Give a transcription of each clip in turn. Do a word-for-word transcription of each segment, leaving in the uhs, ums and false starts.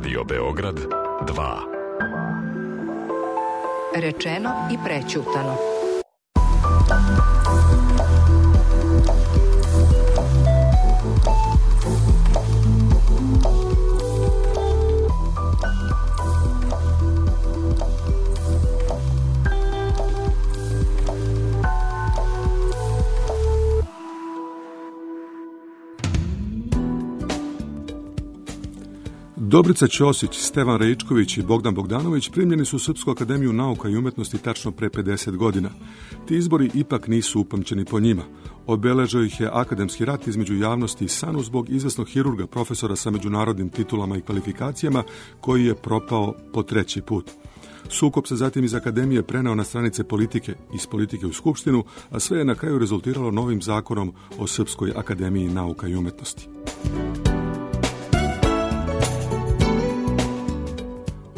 Radio Beograd dva. Rečeno i prećutano. Dobrica Ćosić, Stevan Raičković i Bogdan Bogdanović primljeni su u Srpsku akademiju nauka i umetnosti tačno pre pedeset godina. Ti izbori ipak nisu upamćeni po njima. Obeležio ih je akademski rat između javnosti i SANU zbog izvesnog hirurga, profesora sa međunarodnim titulama i kvalifikacijama, koji je propao po treći put. Sukob se zatim iz akademije preneo na stranice politike, iz politike u Skupštinu, a sve je na kraju rezultiralo novim zakonom o Srpskoj akademiji nauka i umetnosti.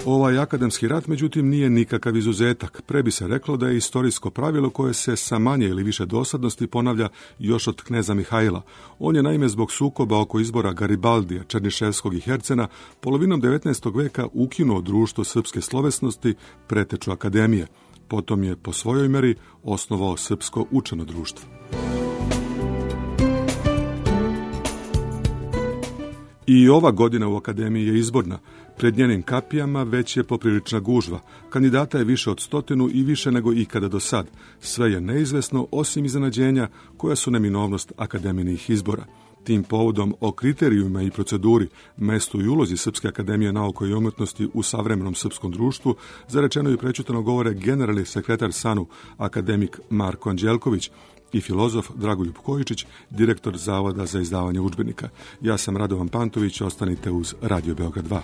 Ovaj akademski rat, međutim, nije nikakav izuzetak. Pre bi se reklo da je istorijsko pravilo koje se sa manje ili više dosadnosti ponavlja još od kneza Mihajla. On je naime zbog sukoba oko izbora Garibaldija, Černiševskog i Hercena polovinom devetnaestog veka ukinuo društvo srpske slovesnosti, preteču akademije. Potom je po svojoj meri osnovao Srpsko učeno društvo. I ova godina u akademiji je izborna. Pred njenim kapijama već je poprilična gužva. Kandidata je više od stotinu i više nego ikada do sad. Sve je neizvesno osim iznenađenja koja su neminovnost akademijinih izbora. Tim povodom o kriterijumima i proceduri, mestu i ulozi Srpske akademije nauka i umetnosti u savremenom srpskom društvu zarečeno i prećutano govore generalni sekretar SANU, akademik Marko Anđelković, i filozof Dragoljub Kojičić, direktor Zavoda za izdavanje udžbenika. Ja sam Radovan Pantović, ostanite uz Radio Beograd dva.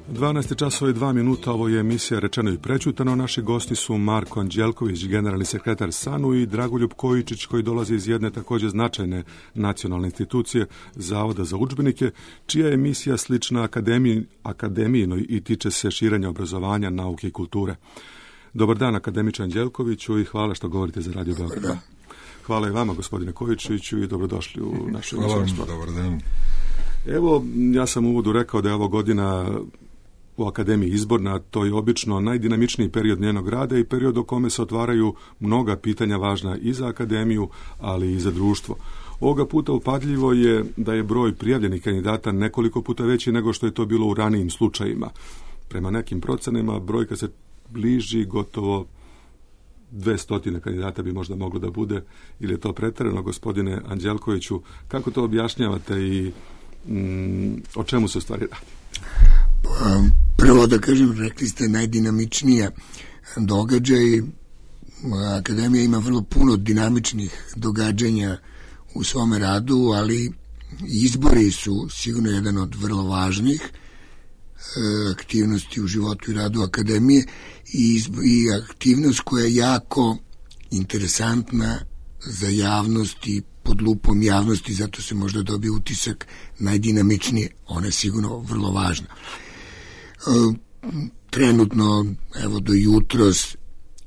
dvanaest časova i dva minuta, ovo je emisija Rečeno i prećutano. Naši gosti su Marko Anđelković, generalni sekretar SANU, i Dragoljub Kojičić, koji dolazi iz jedne također značajne nacionalne institucije, Zavoda za udžbenike, čija je emisija slična akademiji, akademijinoj i tiče se širenja obrazovanja, nauke i kulture. Dobar dan, akademiče Anđelkoviću, i hvala što govorite za Radio Beograd. Hvala i vama, gospodine Kojičiću, i dobrodošli u našu emisiju. Hvala, dobar dan. Evo, ja sam u uvodu rekao da je ovo godina u akademiji izborna, to je obično najdinamičniji period njenog rada i period u kome se otvaraju mnoga pitanja važna i za akademiju, ali i za društvo. Ovoga puta upadljivo je da je broj prijavljenih kandidata nekoliko puta veći nego što je to bilo u ranijim slučajima. Prema nekim procenama brojka se bliži gotovo dvesta kandidata bi možda moglo da bude, ili je to pretjerano, gospodine Anđelkoviću? Kako to objašnjavate i mm, o čemu se u stvari radi? Prvo da kažem, rekli ste najdinamičnija događaj. Akademija ima vrlo puno dinamičnih događanja u svome radu, ali izbori su sigurno jedan od vrlo važnih aktivnosti u životu i radu akademije i, i aktivnost koja je jako interesantna za javnost i pod lupom javnosti, zato se možda dobije utisak najdinamičnije. Ona je sigurno vrlo važna. Trenutno, evo do jutros,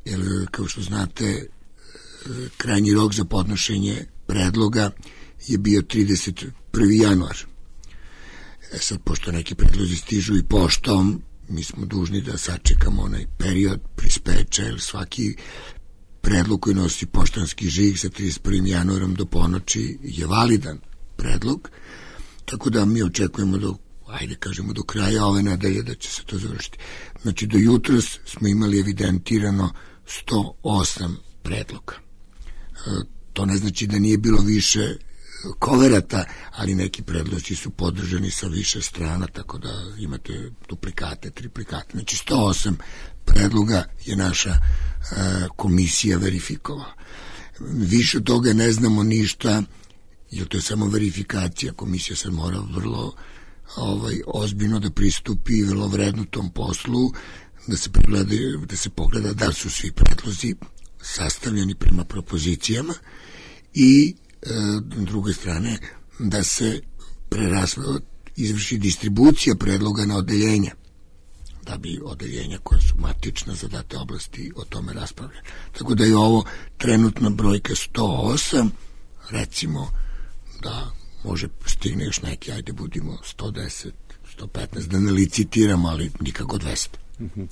jer kao što znate, krajnji rok za podnošenje predloga je bio trideset prvi januar. E sad, pošto neki predlozi stižu i poštom, mi smo dužni da sačekamo onaj period prispeča, jer svaki predlog koji nosi poštanski žig sa trideset prvim januarom do ponoći je validan predlog, tako da mi očekujemo do, ajde kažemo, do kraja ove nedelje da će se to završiti. Znači, do jutros smo imali evidentirano sto osam predloga. E, to ne znači da nije bilo više koverata, ali neki predlozi su podržani sa više strana, tako da imate duplikate, triplikate. Znači, sto osam predloga je naša e, komisija verifikovala. Više od toga ne znamo ništa, jer to je samo verifikacija. Komisija sad mora vrlo ovaj, ozbiljno da pristupi vrlo vredno tom poslu, da se, pregleda, da se pogleda da su svi predlozi sastavljeni prema propozicijama i druge strane, da se preraslo, izvrši distribucija predloga na odeljenja, da bi odeljenja koja su matična za date oblasti o tome raspravljali. Tako da je ovo trenutna brojka sto osam, recimo da može stigne još neki, ajde budimo sto deset, sto petnaest, da ne licitiramo, ali nikako dvesta. Uh-huh.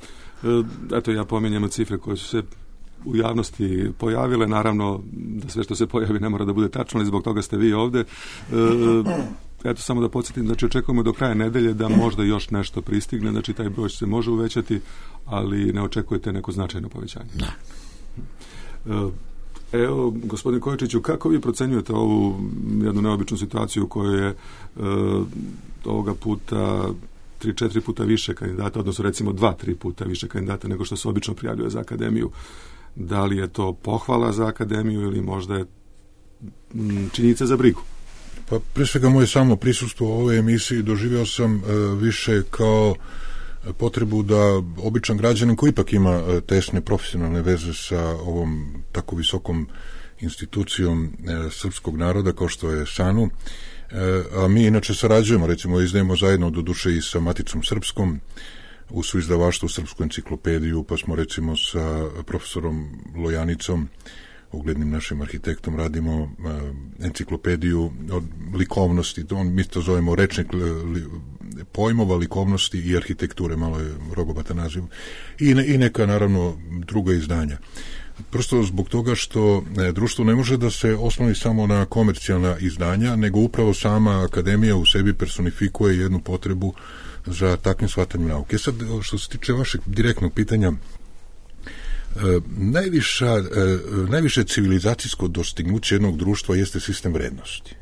Eto, ja pominjem cifre koje su se u javnosti pojavile, naravno da sve što se pojavi ne mora da bude tačno, ali zbog toga ste vi ovde. Eto, samo da podsjetim, znači očekujemo do kraja nedelje da možda još nešto pristigne, znači taj broj se može uvećati, ali ne očekujete neko značajno povećanje. Da. Evo, gospodin Kojičiću, kako vi procenjujete ovu jednu neobičnu situaciju u kojoj je e, ovoga puta tri, četiri puta više kandidata, odnosno recimo dva, tri puta više kandidata nego što se obično prijavljuje za akademiju? Da li je to pohvala za akademiju ili možda je m, činjenica za brigu? Pa pre svega moje samo prisustvo u ovoj emisiji doživio sam e, više kao potrebu da običan građanin koji ipak ima e, tesne profesionalne veze sa ovom tako visokom institucijom e, srpskog naroda kao što je SANU, e, a mi inače sarađujemo, recimo izdajemo zajedno do duše i sa Maticom srpskom u suizdavaštvu Srpsku enciklopediju, pa smo recimo sa profesorom Lojanicom, uglednim našim arhitektom, radimo uh, enciklopediju od likovnosti, on, mi to zovemo rečnik li, pojmova, likovnosti i arhitekture, malo je rogobata naziv, i, ne, i neka naravno druga izdanja. Prosto zbog toga što e, društvo ne može da se osnovi samo na komercijalna izdanja, nego upravo sama akademija u sebi personifikuje jednu potrebu za takvim shvatanjem nauke. Sad, što se tiče vašeg direktnog pitanja, E, najviša, e, najviše civilizacijsko dostignuće jednog društva jeste sistem vrednosti.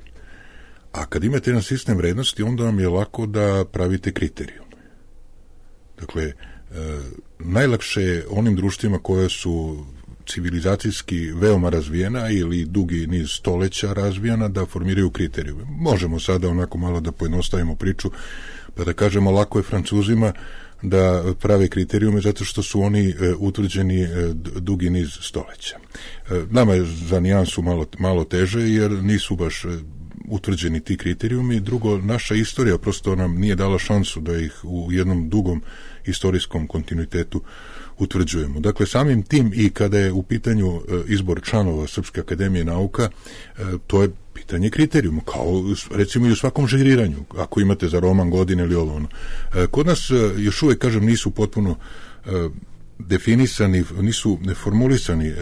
A kad imate jedan sistem vrednosti, onda vam je lako da pravite kriterijum. Dakle, e, najlakše je onim društvima koje su civilizacijski veoma razvijena ili dugi niz stoleća razvijena da formiraju kriterijume. Možemo sada onako malo da pojednostavimo priču, pa da kažemo lako je Francuzima da prave kriterijume zato što su oni e, utvrđeni e, dugi niz stoleća. E, nama je za nijansu malo, malo teže jer nisu baš e, utvrđeni ti kriterijumi. Drugo, naša istorija prosto nam nije dala šansu da ih u jednom dugom istorijskom kontinuitetu utvrđujemo. Dakle, samim tim i kada je u pitanju e, izbor članova Srpske akademije nauka, e, to je pitanje kriterijuma, kao recimo i u svakom žiriranju, ako imate za roman godine ili ovo ono. E, kod nas e, još uvijek, kažem, nisu potpuno e, definisani, nisu formulisani e,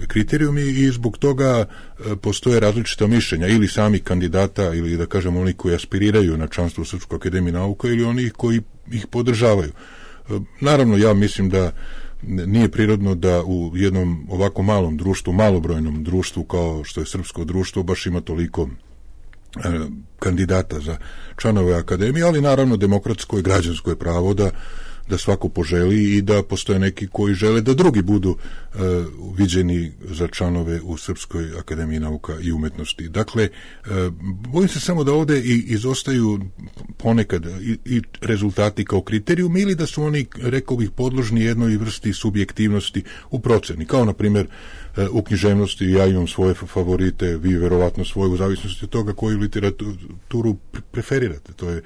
kriterijumi i zbog toga e, postoje različita mišljenja ili sami kandidata ili da kažem oni koji aspiriraju na članstvo u Srpskoj akademiji nauka ili oni koji ih podržavaju. E, naravno, ja mislim da nije prirodno da u jednom ovako malom društvu, malobrojnom društvu kao što je srpsko društvo, baš ima toliko e, kandidata za članove akademije, ali naravno demokratsko i građansko je pravo da da svako poželi i da postoje neki koji žele da drugi budu e, viđeni za članove u Srpskoj akademiji nauka i umetnosti. Dakle, e, bojim se samo da ovde i izostaju ponekad i, i rezultati kao kriterijum ili da su oni, rekao bih, podložni jednoj vrsti subjektivnosti u proceni. Kao, na primjer, e, u književnosti ja imam svoje favorite, vi verovatno svoje, u zavisnosti od toga koju literaturu preferirate. To je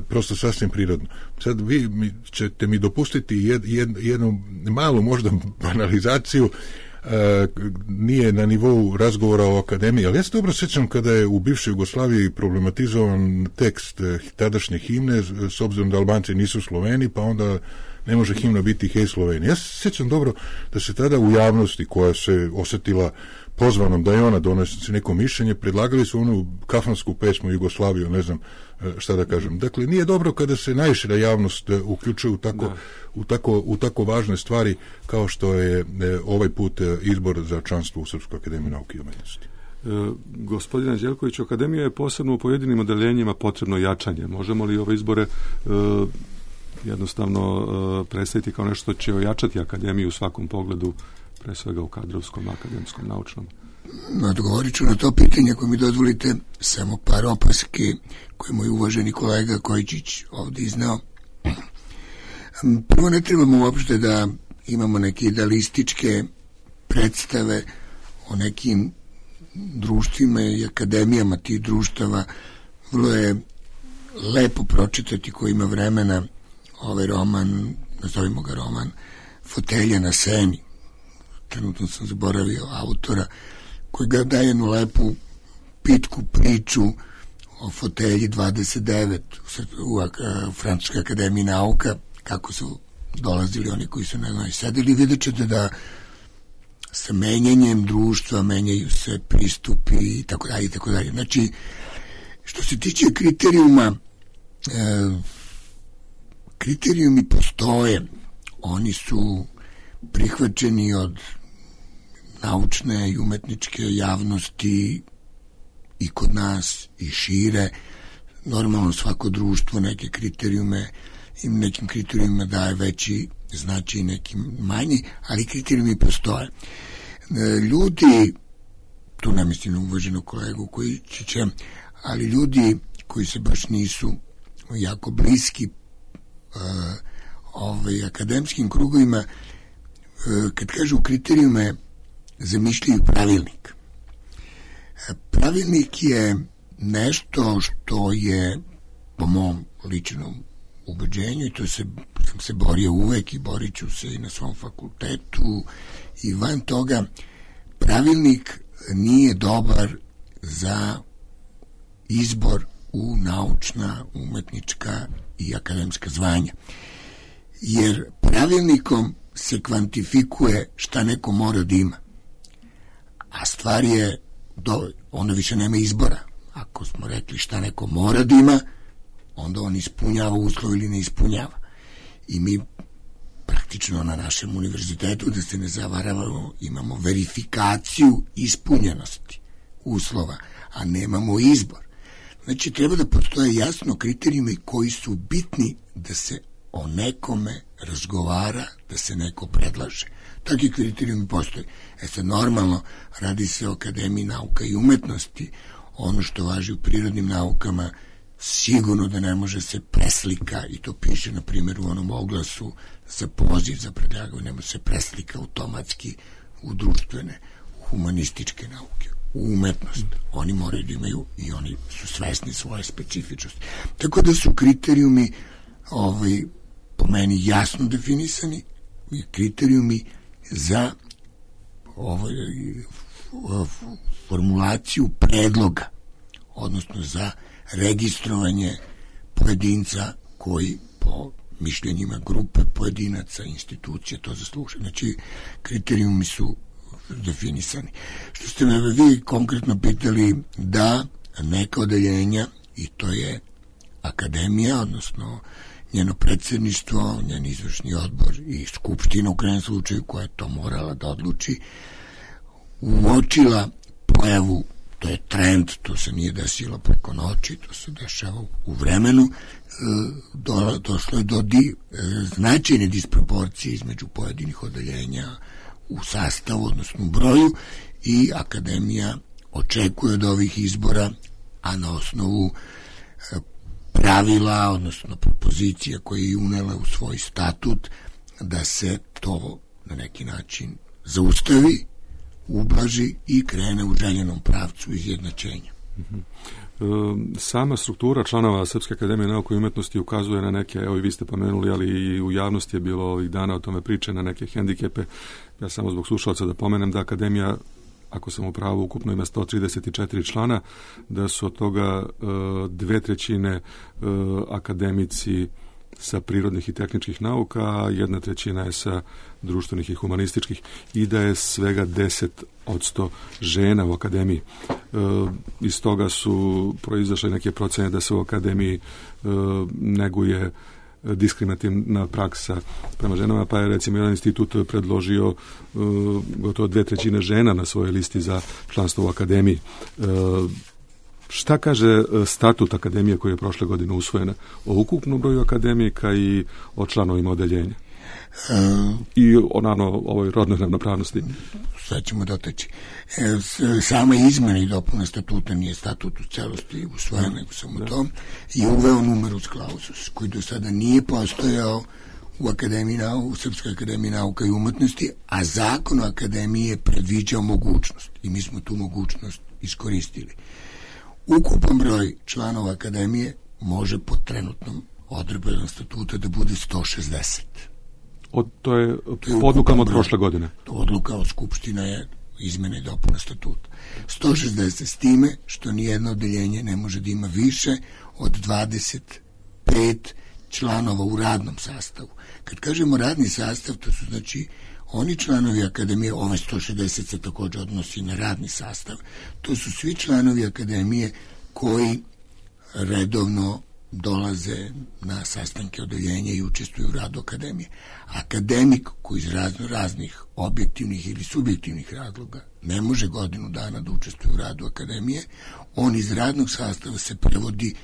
prosto sasvim prirodno. Sad vi mi, ćete mi dopustiti jed, jed, jednu malu možda banalizaciju, e, nije na nivou razgovora o akademiji, ali ja se dobro sjećam kada je u bivšoj Jugoslaviji problematizovan tekst tadašnje himne, s obzirom da Albanci nisu Sloveni, pa onda ne može himna biti Hej Slovenija. Ja se sjećam dobro da se tada u javnosti koja se osjetila pozvanom da je ona donese neko mišljenje, predlagali su onu kafansku pesmu Jugoslaviju, ne znam šta da kažem. Dakle, nije dobro kada se najšira javnost uključuje u tako, u tako, u tako važne stvari kao što je ovaj put izbor za članstvo u Srpskoj akademiji nauke i umetnosti. E, gospodine Đelkoviću, akademija je posebno u pojedinim odeljenjima potrebno jačanje. Možemo li ove izbore e, jednostavno e, predstaviti kao nešto će ojačati akademiju u svakom pogledu, pre svega u kadrovskom, akademskom, naučnom? Odgovorit ću na to pitanje, ako mi dozvolite, samo par opaske koje moj uvaženi kolega Kojičić ovdje iznao. Prvo, ne trebamo uopšte da imamo neke idealističke predstave o nekim društvima i akademijama tih društava. Vrlo je lepo pročitati ko ima vremena ovaj roman, nazovimo ga roman, Fotelja na seni. Trenutno sam zaboravio autora, koji ga daje jednu lepu pitku priču o fotelji dvadeset devet u, u Francuskoj akademiji nauka, kako su dolazili oni koji su na njoj sedeli. Vidjet ćete da sa menjanjem društva menjaju se pristupi i tako dalje i tako dalje. Znači, što se tiče kriterijuma, e, kriterijumi postoje, oni su prihvaćeni od naučne i umetničke javnosti i kod nas i šire. Normalno svako društvo neke kriterijume i nekim kriterijumima daje veći značaj, nekim manji, ali kriterijumi postoje. Ljudi, tu ne mislim na uvaženog kolegu koji će, ali ljudi koji se baš nisu jako bliski uh, ovaj, akademskim krugovima, uh, kad kažu kriterijume, zamišljaju pravilnik. Pravilnik je nešto što je, po mom ličnom ubeđenju, i to se, sam se borio uvek i borit ću se i na svom fakultetu i van toga, pravilnik nije dobar za izbor u naučna, umetnička i akademska zvanja. Jer pravilnikom se kvantifikuje šta neko mora da ima. A stvar je, do, onda više nema izbora. Ako smo rekli šta neko mora da ima, onda on ispunjava uslov ili ne ispunjava. I mi praktično na našem univerzitetu, da se ne zavaravamo, imamo verifikaciju ispunjenosti uslova, a nemamo izbor. Znači, treba da postoje jasno kriterijume koji su bitni da se o nekome razgovara, da se neko predlaže. Takvi kriterijumi postoje. E sad, normalno, radi se o Akademiji nauka i umetnosti. Ono što važi u prirodnim naukama sigurno da ne može se preslika, i to piše, na primjer, u onom oglasu za poziv za predlaganje, ne može se preslika automatski u društvene, u humanističke nauke, u umetnost. Oni moraju da imaju i oni su svesni svoje specifičnosti. Tako da su kriterijumi ovaj, po meni jasno definisani, kriterijumi za ovaj, formulaciju predloga, odnosno za registrovanje pojedinca koji po mišljenjima grupe pojedinaca, institucija to zasluže. Znači, kriterijumi su definisani. Što ste me vi konkretno pitali, da neka odeljenja, i to je akademija, odnosno njeno predsjedništvo, njen izvršni odbor i skupština u krajnjem slučaju, koja je to morala da odluči, uočila pojavu, to je trend, to se nije desilo preko noći, to se dešava u vremenu, do, došlo je do di, značajne disproporcije između pojedinih odeljenja u sastavu, odnosno u broju, i akademija očekuje od ovih izbora, a na osnovu pravila, odnosno propozicija koje je unela u svoj statut, da se to na neki način zaustavi, ublaži i krene u željenom pravcu izjednačenja. Mm-hmm. E, sama struktura članova Srpske akademije nauke i umetnosti ukazuje na neke, evo i vi ste pomenuli, ali i u javnosti je bilo ovih dana o tome priče, na neke hendikepe. Ja samo zbog slušalca da pomenem da akademija, ako sam u pravu, ukupno ima sto trideset četiri člana, da su od toga e, dve trećine e, akademici sa prirodnih i tehničkih nauka, a jedna trećina je sa društvenih i humanističkih, i da je svega deset odsto žena u akademiji. E, iz toga su proizašle neke procene da se u akademiji e, neguje diskriminativna praksa prema ženama, pa je recimo jedan institut predložio e, gotovo dve trećine žena na svojoj listi za članstvo u akademiji. E, Šta kaže statut akademije koji je prošle godine usvojena o ukupnom broju akademika i o članovima odeljenja? Um, I o, naravno, ovoj rodnoj ravnopravnosti. Sad ćemo doteći. E, sama izmena i dopuna statuta nije statut u celosti usvojen, nego samo da. To, i uveo numerus clausus, koji do sada nije postojao u Akademiji nauka, u Srpskoj akademiji nauka i umetnosti, a zakon o akademiji je predviđao mogućnost i mi smo tu mogućnost iskoristili. Ukupan broj članova akademije može po trenutnom odredbama statuta da bude sto šezdeset. Od, to je, to je odlukama od prošle godine. To odluka od Skupština je izmene i dopuna statuta. sto šezdeset, s time što nijedno odeljenje ne može da ima više od dvadeset pet članova u radnom sastavu. Kad kažemo radni sastav, to su znači oni članovi akademije, ove sto šezdeset se također odnosi na radni sastav, to su svi članovi akademije koji redovno dolaze na sastanke odeljenja i učestvuju u radu akademije. Akademik koji iz razno raznih objektivnih ili subjektivnih razloga ne može godinu dana da učestvuje u radu akademije, on iz radnog sastava se prevodi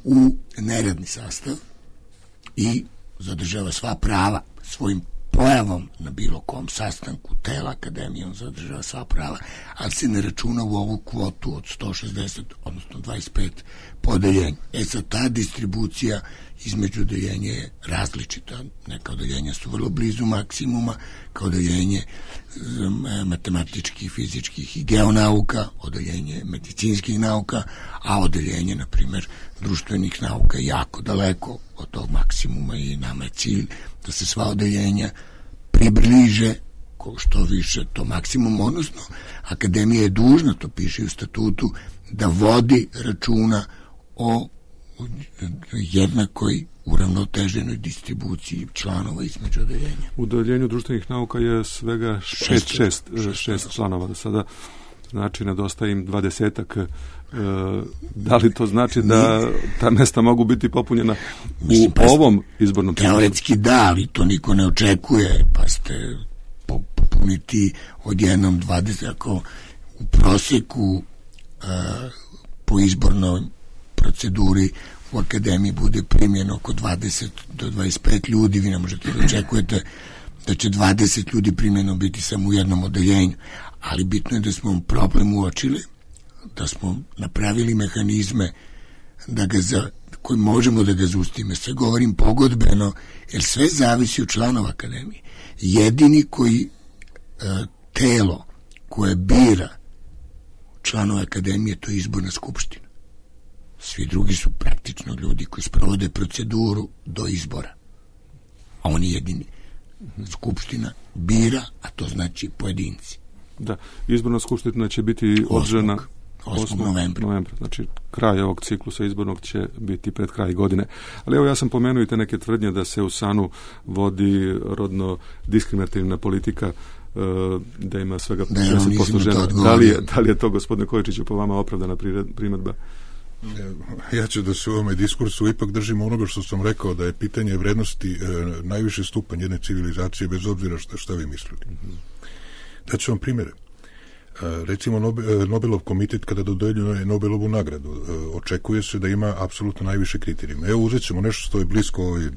u neradni sastav i zadržava sva prava svojim pojavom na bilo kom sastanku tela akademije, on zadržava sva prava, ali se ne računa u ovu kvotu od sto šezdeset, odnosno dvadeset pet podeljenja. E sad, ta distribucija između odeljenja je različita. Neka odeljenja su vrlo blizu maksimuma, kao odeljenje matematičkih, fizičkih i geonauka, odeljenje medicinskih nauka, a odeljenje, na primjer, društvenih nauka je jako daleko od tog maksimuma i nama je cilj da se sva odeljenja približe ko što više to maksimum, odnosno akademija je dužna, to piše u statutu, da vodi računa o jednakoj uravnoteženoj distribuciji članova između odeljenja. U odeljenju društvenih nauka je svega šest, šest, šest, šest članova do sada, znači nedostaje im dvadesetak. E, da li to znači da ta mesta mogu biti popunjena u Mislim, pa ovom izbornom ciklusu? Teoretski da, ali to niko ne očekuje, pa ste popuniti odjednom dvadeset, ako u proseku a, po izbornoj proceduri u akademiji bude primljeno oko dvadeset do dvadeset pet ljudi, vi ne možete da očekujete da će dvadeset ljudi primljeno biti samo u jednom odeljenju, ali bitno je da smo problem uočili, da smo napravili mehanizme da ga za, koji možemo da ga zaustavimo. Sve govorim pogodbeno, jer sve zavisi od članova akademije. Jedini koji e, telo koje bira članova akademije, to je izborna skupština. Svi drugi su praktično ljudi koji sprovode proceduru do izbora. A oni jedini. Skupština bira, a to znači pojedinci. Da, izborna skupština će biti održana osmog novembra. novembra. Znači, kraj ovog ciklusa izbornog će biti pred kraj godine. Ali evo, ja sam pomenuo i te neke tvrdnje da se u SANU vodi rodno diskriminativna politika, da ima svega šezdeset posto žena. Da li, je, da li je to, gospodine Kojičiću, po vama opravdana primjedba? Ja ću da se u ovome diskursu ipak držim onoga što sam rekao, da je pitanje vrednosti e, najviše stupanj jedne civilizacije, bez obzira šta, šta vi mislili. Mm-hmm. Daću vam primjere. E, recimo Nobel, Nobelov komitet kada dodeljuje Nobelovu nagradu, e, očekuje se da ima apsolutno najviše kriterijuma. Evo, uzet ćemo nešto što je blisko ovoj,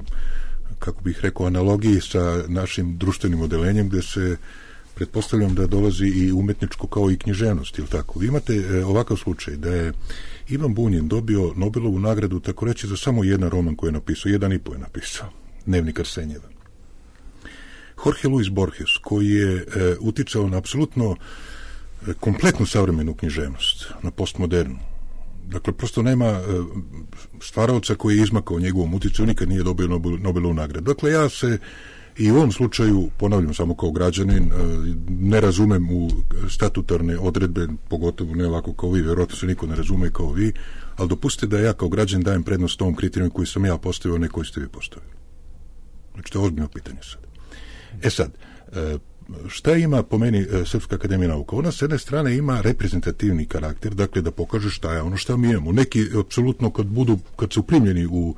kako bih rekao, analogiji sa našim društvenim odelenjem, gde se pretpostavljam da dolazi i umetničko kao i književnost, ili tako. Vi imate e, ovakav slučaj da je Ivan Bunjin dobio Nobelovu nagradu, tako reći, za samo jedan roman koji je napisao, jedan i po je napisao, Dnevnik Arsenjeva. Jorge Luis Borges, koji je e, uticao na apsolutno e, kompletnu savremenu književnost, na postmodernu. Dakle, prosto nema e, stvaraoca koji je izmakao njegovom uticaju, nikad nije dobio Nobel, Nobelovu nagradu. Dakle, ja se i u ovom slučaju, ponavljam samo kao građanin, ne razumem u statutarne odredbe, pogotovo ne ovako kao vi, vjerojatno se niko ne razume kao vi, ali dopustite da ja kao građanin dajem prednost ovom kriterijom koji sam ja postavio, ne koji ste vi postavili. Znači, to je ozbiljno pitanje sad. E sad, šta ima po meni Srpska akademija nauka? Ona s jedne strane ima reprezentativni karakter, dakle da pokaže šta je ono šta mi imamo. Neki, apsolutno, kad budu, kad su primljeni u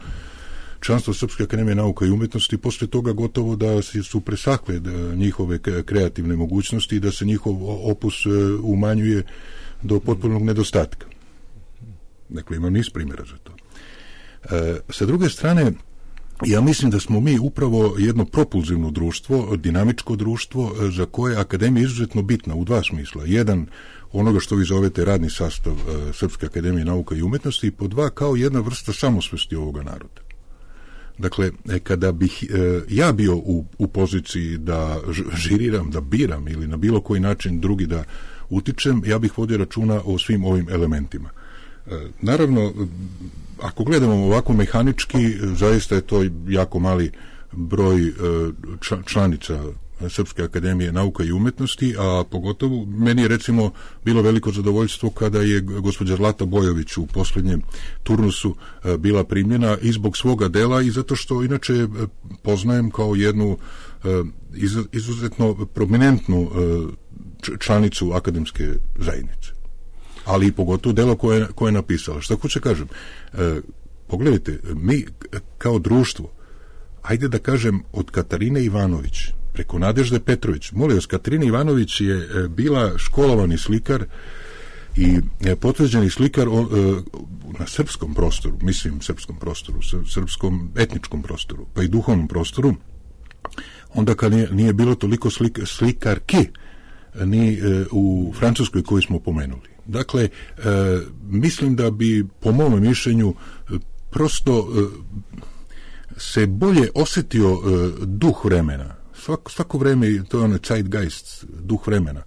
članstvo Srpske akademije nauka i umetnosti, posle toga gotovo da su presakle da njihove kreativne mogućnosti i da se njihov opus umanjuje do potpunog nedostatka. Dakle, imam niz primjera za to. E, sa druge strane, ja mislim da smo mi upravo jedno propulzivno društvo, dinamičko društvo, za koje je akademija izuzetno bitna u dva smisla. Jedan, onoga što vi zovete radni sastav e, Srpske akademije nauka i umetnosti, i po dva, kao jedna vrsta samosvesti ovoga naroda. Dakle, kada bih e, ja bio u, u poziciji da žiriram, da biram ili na bilo koji način drugi da utičem, ja bih vodio računa o svim ovim elementima. E, naravno, ako gledamo ovako mehanički, zaista je to jako mali broj e, članica Srpske akademije nauka i umetnosti, a pogotovo meni je recimo bilo veliko zadovoljstvo kada je gospođa Zlata Bojović u posljednjem turnusu bila primljena i zbog svoga dela i zato što inače poznajem kao jednu izuzetno prominentnu članicu akademske zajednice. Ali i pogotovo delo koje, koje je napisala. Šta hoće kažem? Pogledajte, mi kao društvo, ajde da kažem od Katarine Ivanović preko Nadežde Petrović. Molim vas, Katarina Ivanović je bila školovani slikar i potvrđeni slikar na srpskom prostoru, mislim srpskom prostoru, srpskom etničkom prostoru, pa i duhovnom prostoru, onda kad nije, nije bilo toliko slika, slikarki ni u Francuskoj koju smo pomenuli. Dakle, mislim da bi, po mom mišljenju, prosto se bolje osjetio duh vremena. Svako, svako vreme, to je ono zeitgeist, duh vremena.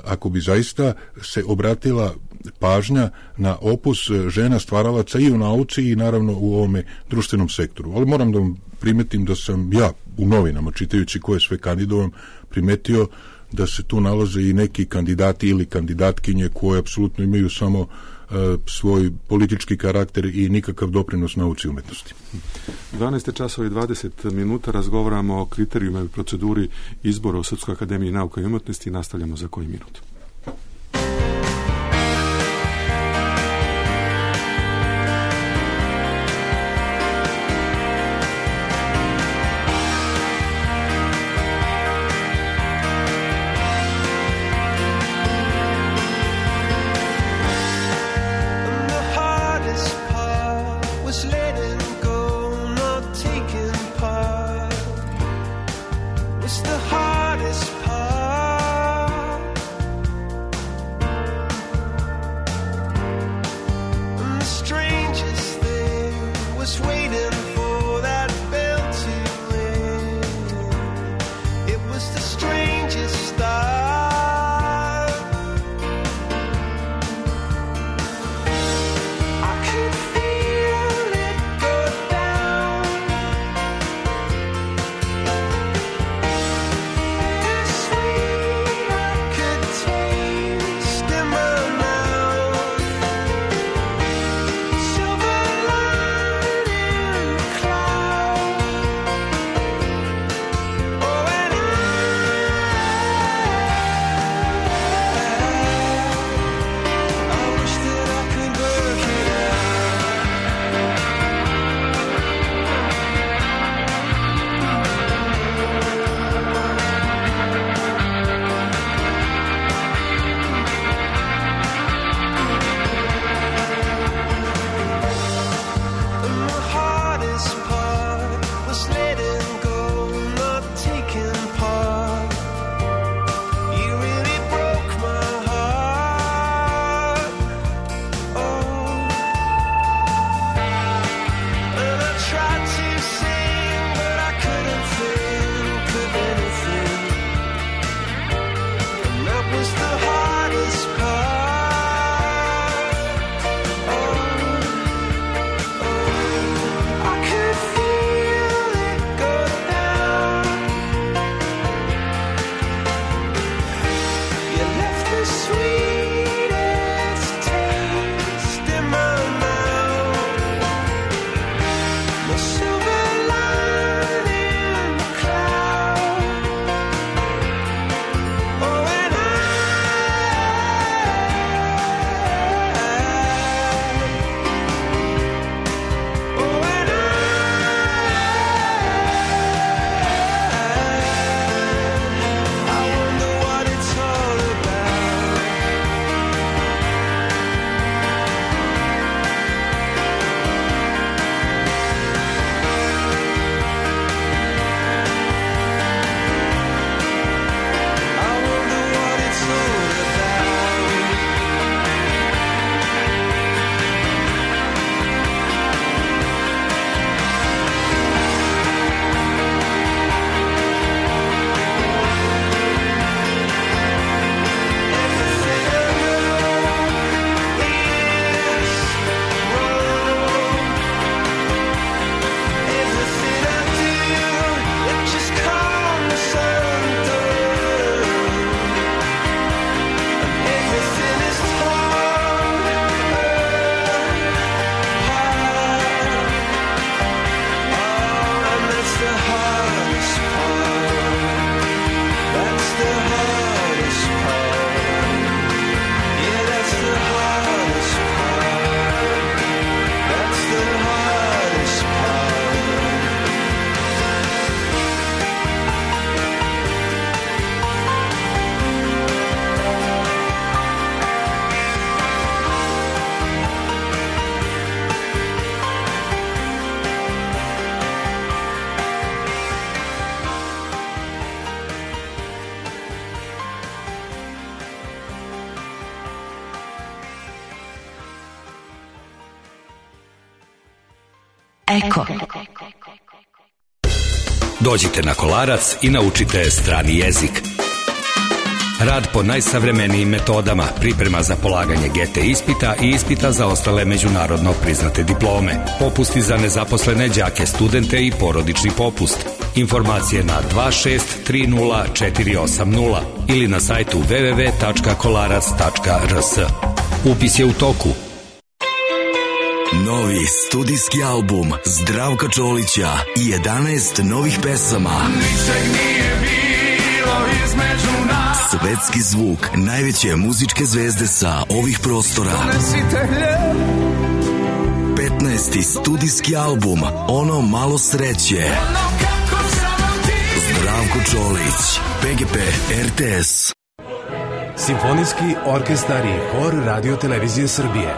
Ako bi zaista se obratila pažnja na opus žena stvaralaca i u nauci i naravno u ovome društvenom sektoru. Ali moram da vam primetim da sam ja u novinama, čitajući ko je sve kandidovan, primetio da se tu nalaze i neki kandidati ili kandidatkinje koje apsolutno imaju samo uh, svoj politički karakter i nikakav doprinos nauci i umetnosti. dvanaest časova i dvadeset minuta razgovaramo o kriterijima i proceduri izbora u Srpskoj akademiji nauka i umetnosti i nastavljamo za koji minut. It's the hardest part. Eko. Dođite na Kolarac i naučite strani jezik. Rad po najsavremenijim metodama, priprema za polaganje G T ispita i ispita za ostale međunarodno priznate diplome, popusti za nezaposlene đake, studente i porodični popust. Informacije na dva šest tri nula četiri osam nula ili na sajtu w w w tačka kolarac tačka r s. Upis je u toku. Novi studijski album Zdravka Čolića i jedanaest novih pesama. Ničeg nije bilo između nas. Svetski zvuk najveće muzičke zvezde sa ovih prostora. petnaesti studijski album Ono malo sreće. Zdravko Čolić, P G P R T S. Simfonijski orkestar i hor Radio Televizije Srbije.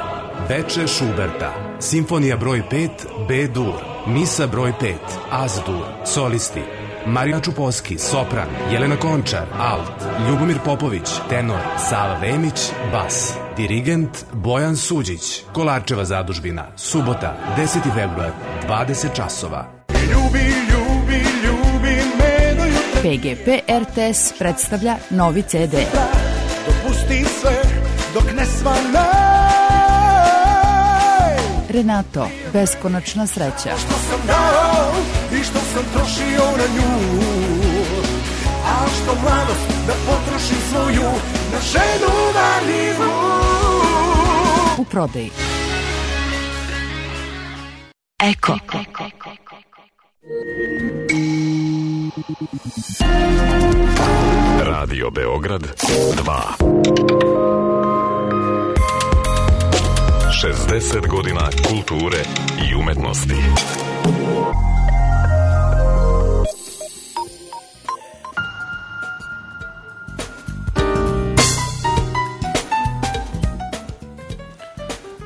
Veče Šuberta, Simfonija broj pet, B-dur, Misa broj pet, Az-dur, solisti, Marija Čuposki, sopran, Jelena Končar, alt, Ljubomir Popović, tenor, Sava Vemić, bas, dirigent Bojan Suđić, Kolarčeva zadužbina, subota, deseti februar, dvadeset časova. Ljubi, ljubi, ljubi me do jutra. P G P R T S predstavlja novi C D. Dopusti sve dok ne svane. Renato, beskonačna sreća. Što sam dao i što sam trošio na nju, a što mladost da potrošim svoju na ženu marljivu. U prodaji. Eko. Radio Beograd dva. šezdeset godina kulture i umetnosti.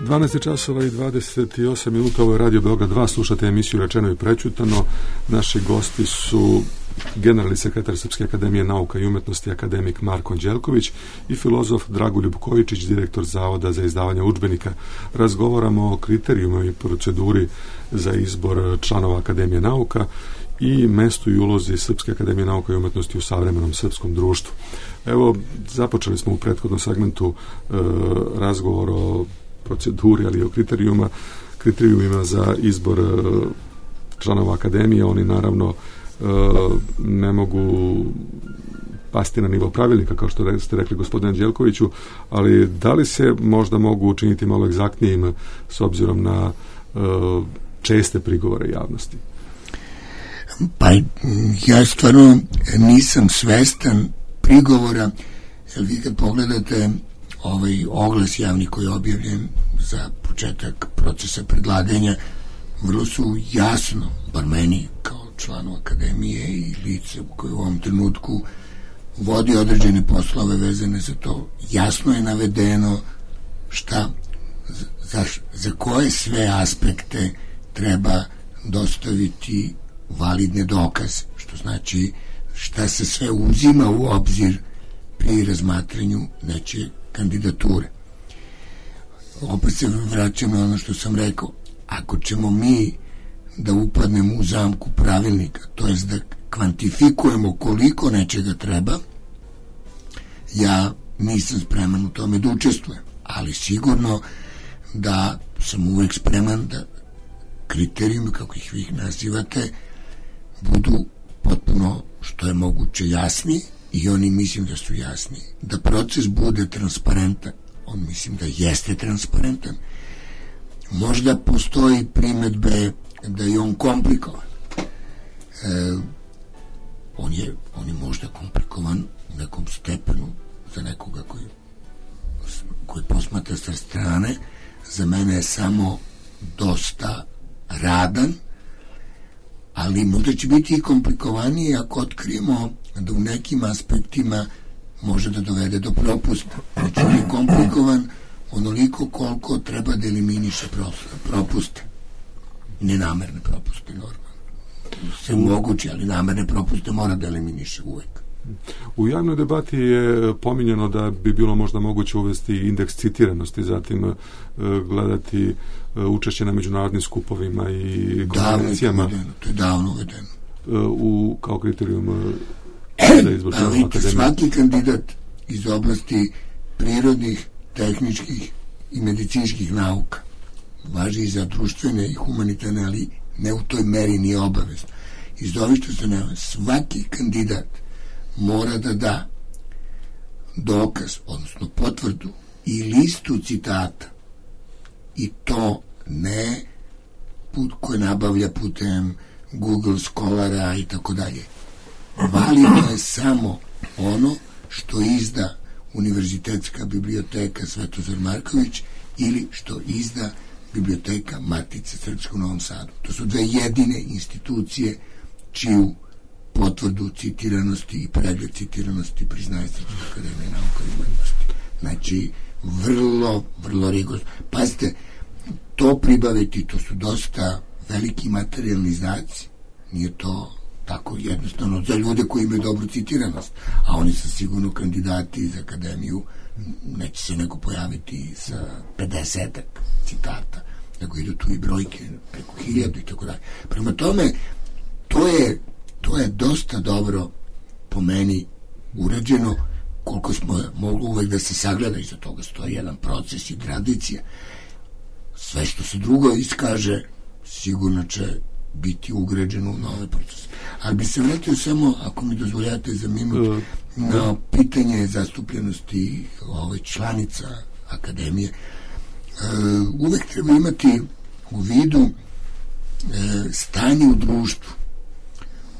dvanaest časova i dvadeset osam minuta, ovo je Radio Beograd dva, slušate emisiju Rečeno i prećutano. Naši gosti su generalni sekretar Srpske akademije nauka i umetnosti akademik Marko Anđelković i filozof Dragoljub Kojičić, direktor Zavoda za izdavanje udžbenika. Razgovaramo o kriterijuma i proceduri za izbor članova Akademije nauka i mestu i ulozi Srpske akademije nauka i umetnosti u savremenom srpskom društvu. Evo, započeli smo u prethodnom segmentu e, razgovor o proceduri, ali i o kriterijuma, kriterijumima za izbor e, članova Akademije. Oni naravno ne mogu pasti na nivo pravilnika, kao što ste rekli gospodine Anđelkoviću, ali da li se možda mogu učiniti malo egzaktnijim s obzirom na uh, česte prigovore javnosti? Pa ja stvarno nisam svestan prigovora, jer vi kad pogledate ovaj oglas javni koji je objavljen za početak procesa predlaganja, vrlo su jasno, bar meni kao članu Akademije i lice koje u ovom trenutku vodi određene poslove vezane za to, jasno je navedeno šta, za, za koje sve aspekte treba dostaviti validne dokaze, što znači šta se sve uzima u obzir pri razmatranju nečije kandidature. Opet se vraćam na ono što sam rekao, ako ćemo mi da upadnemo u zamku pravilnika, to jest da kvantifikujemo koliko nečega treba, ja nisam spreman u tome da učestvujem, ali sigurno da sam uvek spreman da kriterijumi, kako ih vi nazivate, budu potpuno što je moguće jasni, i oni mislim da su jasni. Da proces bude transparentan, on mislim da jeste transparentan. Možda postoji primedbe da je on komplikovan. E, on je, on je možda komplikovan u nekom stepenu za nekoga koji, koji posmatra sa strane. Za mene je samo dosta radan, ali možda će biti i komplikovaniji ako otkrijemo da u nekim aspektima može da dovede do propusta. Znači on je komplikovan onoliko koliko treba da eliminiše propuste. Nenamerne propuste, normalno. Sve moguće, ali namerne propuste mora da eliminiše uvek. U javnoj debati je pominjeno da bi bilo možda moguće uvesti indeks citiranosti, zatim gledati učešće na međunarodnim skupovima i konferencijama. To je davno uvedeno. U, kao kriterijum za izbor članova akademije. Svaki kandidat iz oblasti prirodnih, tehničkih i medicinskih nauka važi i za društvene i humanitarne, ali ne u toj meri nije obavezno. Iz ovih što se nema, svaki kandidat mora da da dokaz, odnosno potvrdu i listu citata, i to ne put koje nabavlja putem Google Scholara i tako dalje. Validno je samo ono što izda Univerzitetska biblioteka Svetozar Marković ili što izda Biblioteka Matice Srpske u Novom Sadu. To su dve jedine institucije čiju potvrdu citiranosti i pregled citiranosti priznaje Srpska akademija nauka i umetnosti. Znači, vrlo, vrlo rigorozno. Pazite, to pribaviti, to su dosta veliki materijalni izdaci. Nije to tako jednostavno za ljude koji imaju dobru citiranost, a oni su sigurno kandidati za akademiju, neće se neko pojaviti sa pedesetak citata, nego idu tu i brojke preko hiljadu i tako dalje. Prema tome, to je, to je dosta dobro po meni urađeno, koliko smo mogli uvek da se sagleda, iza toga stoji jedan proces i tradicija. Sve što se drugo iskaže sigurno će biti ugrađeno u nove procese. Ali bi se vratio samo, ako mi dozvoljate za minut, na pitanje zastupljenosti ove članica akademije. Uvek treba imati u vidu stanje u društvu,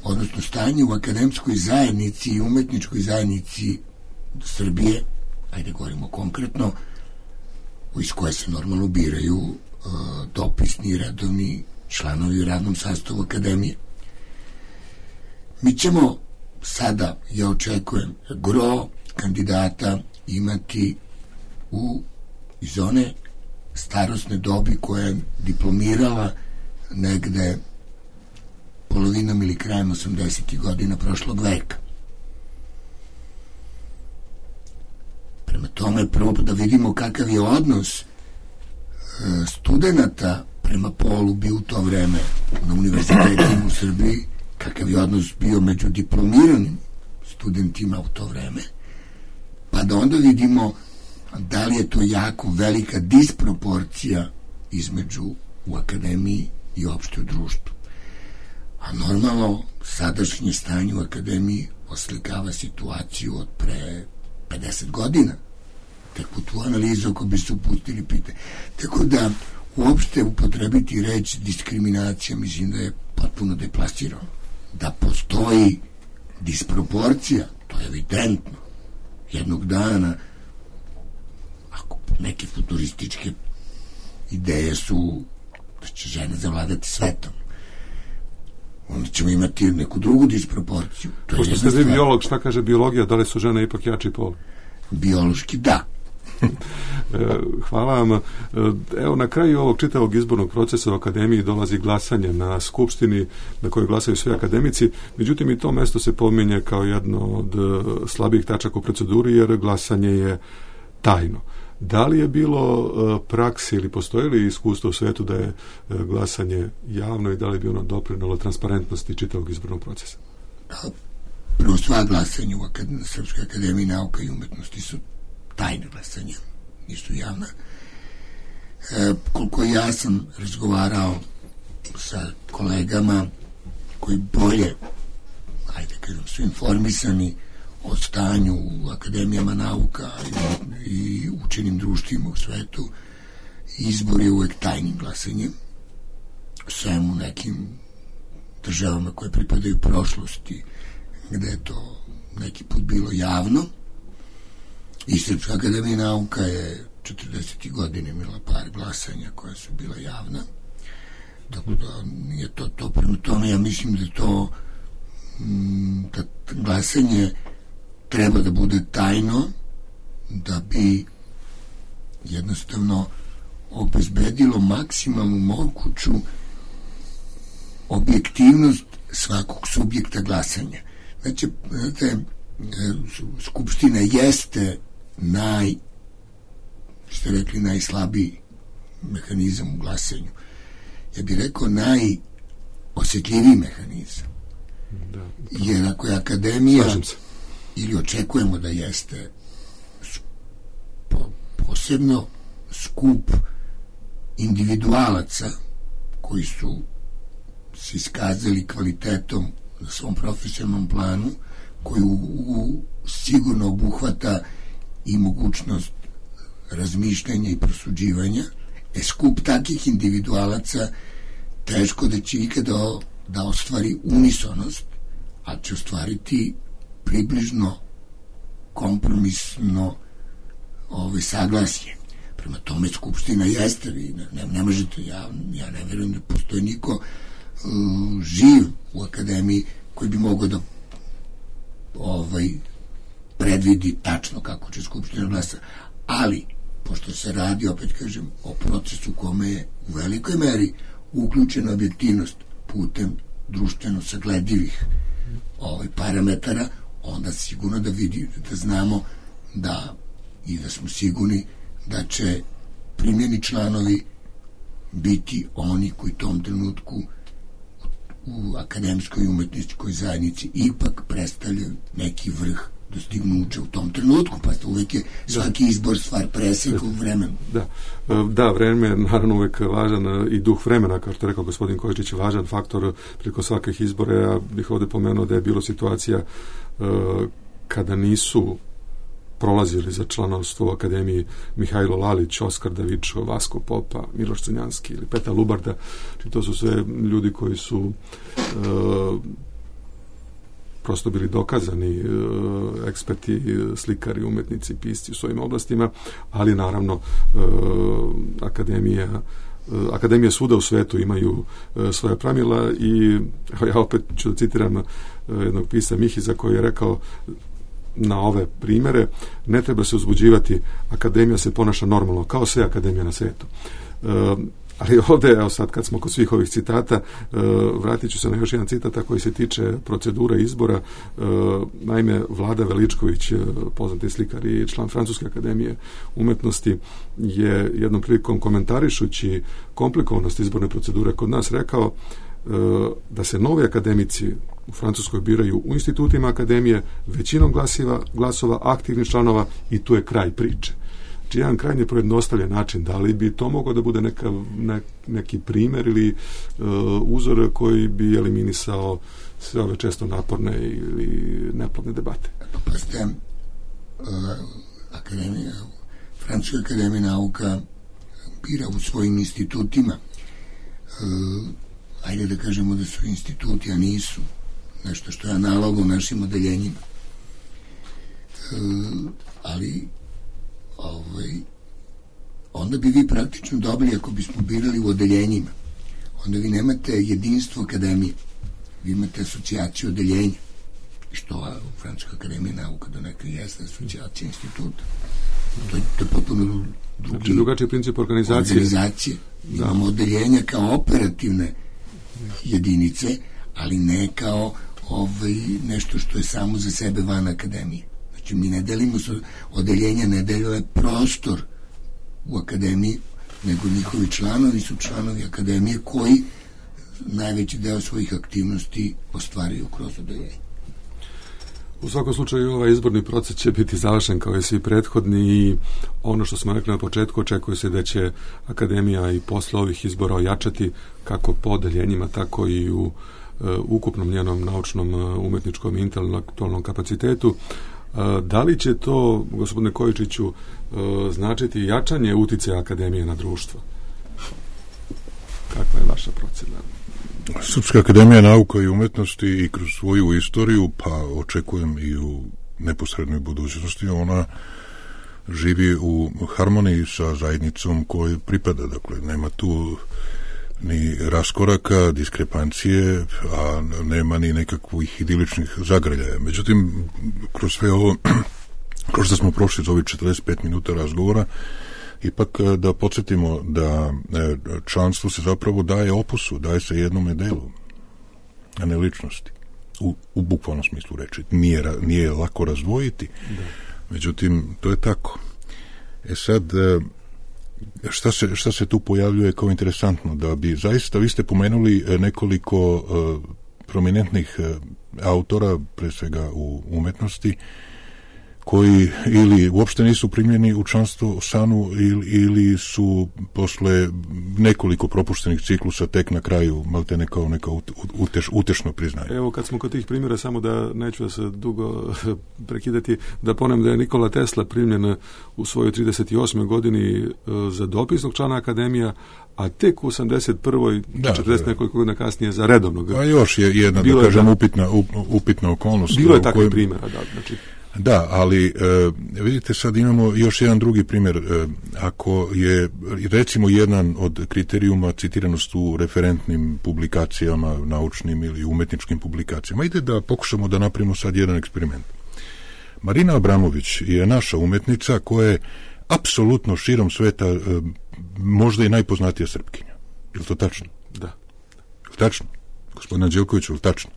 odnosno stanje u akademskoj zajednici i umetničkoj zajednici Srbije, ajde govorimo konkretno, iz koje se normalno biraju dopisni i redovni članovi u radnom sastavu akademije. Mi ćemo sada, ja očekujem, gro kandidata imati u iz one starosne dobi koja je diplomirala negde polovinom ili krajem osamdesetih godina prošlog veka. Prema tome, prvo da vidimo kakav je odnos studenata prema polu bio u to vreme na univerzitetima u Srbiji, kakav je odnos bio među diplomiranim studentima u to vreme, pa da onda vidimo da li je to jako velika disproporcija između u akademiji i opšte u društvu. A normalno, sadašnje stanje u akademiji oslikava situaciju od pre pedeset godina. Tako tu analizu ako bi se upustili pitanje. Tako da uopšte upotrebiti reč diskriminacija mislim da je potpuno deplasirano. Da postoji disproporcija, to je evidentno. Jednog dana, ako neke futurističke ideje su da će žene zavladati svetom, onda ćemo imati neku drugu disproporciju. To Pošto ste vi biolog, šta kaže biologija, da li su žene ipak jači pol? Biološki da. Hvala vam. Evo, na kraju ovog čitavog izbornog procesa u akademiji dolazi glasanje na skupštini na kojoj glasaju svi akademici, međutim i to mesto se pominje kao jedno od slabijih tačaka u proceduri jer glasanje je tajno. Da li je bilo praksi ili postoji li iskustvo u svetu da je glasanje javno i da li bi ono doprinalo transparentnosti čitavog izbornog procesa? Prvo, sva glasanja u akad- Srpskoj akademiji nauka i umetnosti su tajne glasanja, nisu javna. E, koliko ja sam razgovarao sa kolegama koji bolje, ajde kažem, su informisani o stanju u akademijama nauka i, i učenim društvima u svetu, izbor je uvek tajnim glasanjem, sem u nekim državama koje pripadaju prošlosti, gde je to neki put bilo javno. I Srpska akademija nauka je četrdesetih godina imala par glasanja koja su bila javna. Tako da nije to to. Prema tome ja mislim da to da glasanje treba da bude tajno da bi jednostavno obezbedilo maksimalnu moguću objektivnost svakog subjekta glasanja. Znači, znate, Skupština jeste naj, što rekli, najslabiji mehanizam u glasanju. Ja bih rekao najosjetljiviji mehanizam. Da. Jer ako je akademija, ili očekujemo da jeste, posebno skup individualaca koji su se iskazali kvalitetom na svom profesionalnom planu, koji u, u, sigurno obuhvata i mogućnost razmišljanja i prosuđivanja, e skup takih individualaca teško da će ikada da ostvari unisonost, ali će ostvariti približno kompromisno ovaj, saglasje. Prema tome Skupština jeste, vi ne, ne, ne možete, ja, ja ne verujem da postoji niko uh, živ u akademiji koji bi mogao da ovaj, predvidi tačno kako će Skupština glasa. Ali, pošto se radi, opet kažem, o procesu kome je u velikoj meri uključena objektivnost putem društveno sagledivih ovaj, parametara, onda sigurno da vidi, da znamo da i da smo sigurni da će primljeni članovi biti oni koji u tom trenutku u akademskoj i umetničkoj zajednici ipak predstavljaju neki vrh dostignuća u tom trenutku, pa uvek je svaki izbor stvar preseka u vremenu. Da, da, vreme je naravno uvek važan i duh vremena, kao što je rekao gospodin Kojičić, važan faktor preko svakih izbora. Ja bih ovde pomenuo da je bilo situacija uh, kada nisu prolazili za članovstvo u akademiji Mihajlo Lalić, Oskar Davičo, Vasko Popa, Miloš Crnjanski ili Peta Lubarda. Či to su sve ljudi koji su uh, prosto bili dokazani uh, eksperti, slikari, umetnici, pisci u svojim oblastima, ali naravno uh, akademija uh, akademije svuda u svetu imaju uh, svoja pravila i ja opet ću da citiram uh, jednog pisa Mihiza koji je rekao na ove primere: ne treba se uzbuđivati, akademija se ponaša normalno, kao sve akademije na svetu. Uh, ali ovde, evo sad kad smo kod svih ovih citata, uh, vratit ću se na još jedan citat koji se tiče procedure izbora. Uh, naime, Vlada Veličković, uh, poznati slikar i član Francuske akademije umetnosti, je jednom prilikom komentarišući komplikovanost izborne procedure kod nas rekao uh, da se novi akademici u Francuskoj biraju u institutima akademije većinom glasiva, glasova aktivnih članova i tu je kraj priče. Znači jedan krajnje pojednostavljen način. Da li bi to moglo da bude neka, ne, neki primer ili uh, uzor koji bi eliminisao sve ove često naporne ili neplodne debate? Pa ste uh, akademija, Francuska akademija nauka bira u svojim institutima. Uh, ajde da kažemo da su instituti, a nisu nešto što je analogno našim odeljenjima. E, ali ovaj, onda bi vi praktično dobili, ako bismo birali u odeljenjima, onda vi nemate jedinstvo akademije, vi imate asocijaciju odeljenja, što u Francuskoj akademiji nauka do neka jeste asocijacija instituta. To je, to je potpuno drugi, znači, drugačiji princip organizacije. organizacije. Da. Imamo odeljenja kao operativne jedinice, ali ne kao ovaj, nešto što je samo za sebe van akademije. Znači, mi ne delimo odeljenja, ne deluje prostor u akademiji, nego njihovi članovi su članovi akademije koji najveći deo svojih aktivnosti ostvaruju kroz odeljenje. U svakom slučaju ovaj izborni proces će biti završen kao i svi prethodni i ono što smo rekli na početku, očekuje se da će akademija i posle ovih izbora ojačati kako po odeljenjima, tako i u uh, ukupnom njenom naučnom, uh, umetničkom i intelektualnom kapacitetu. Uh, da li će to, gospodine Kojičiću, uh, značiti jačanje uticaja akademije na društvo? Kakva je vaša procena? Srpska akademija nauka i umetnosti i kroz svoju istoriju, pa očekujem i u neposrednoj budućnosti, ona živi u harmoniji sa zajednicom kojoj pripada. Dakle, nema tu ni raskoraka, diskrepancije, a nema ni nekakvih idiličnih zagrljaja. Međutim, kroz sve ovo, kroz što smo prošli za ovih četrdeset pet minuta razgovora, ipak da podsjetimo da članstvo se zapravo daje opusu, daje se jednome delu, a ne ličnosti. u, u bukvalnom smislu reči. Nije, nije lako razdvojiti, da. Međutim, to je tako. E sad, šta se, šta se tu pojavljuje kao interesantno? Da bi zaista, vi ste pomenuli nekoliko uh, prominentnih uh, autora, pre svega u umetnosti, koji ili uopšte nisu primljeni u članstvo SANU ili, ili su posle nekoliko propuštenih ciklusa tek na kraju maltene kao neka uteš, utešno priznanje. Evo, kad smo kod tih primjera, samo da neću da se dugo prekidati, da ponem da je Nikola Tesla primljen u svojoj trideset osmoj godini za dopisnog člana akademija, a tek u osamdeset prvoj Da, četrdeset da. nekoliko godina kasnije za redovnog. A još je jedna, Bilo da kažem, da, upitna, upitna okolnost. Bilo je takvih kojem... primjera, da, znači... Da, ali e, vidite, sad imamo još jedan drugi primjer. E, ako je, recimo, jedan od kriterijuma citiranost u referentnim publikacijama, naučnim ili umetničkim publikacijama, ide da pokušamo da napravimo sad jedan eksperiment. Marina Abramović je naša umetnica koja je apsolutno širom sveta e, možda i najpoznatija Srpkinja. Je li to tačno? Da. Je li tačno? Gospodina Đelkoviću, je li tačno?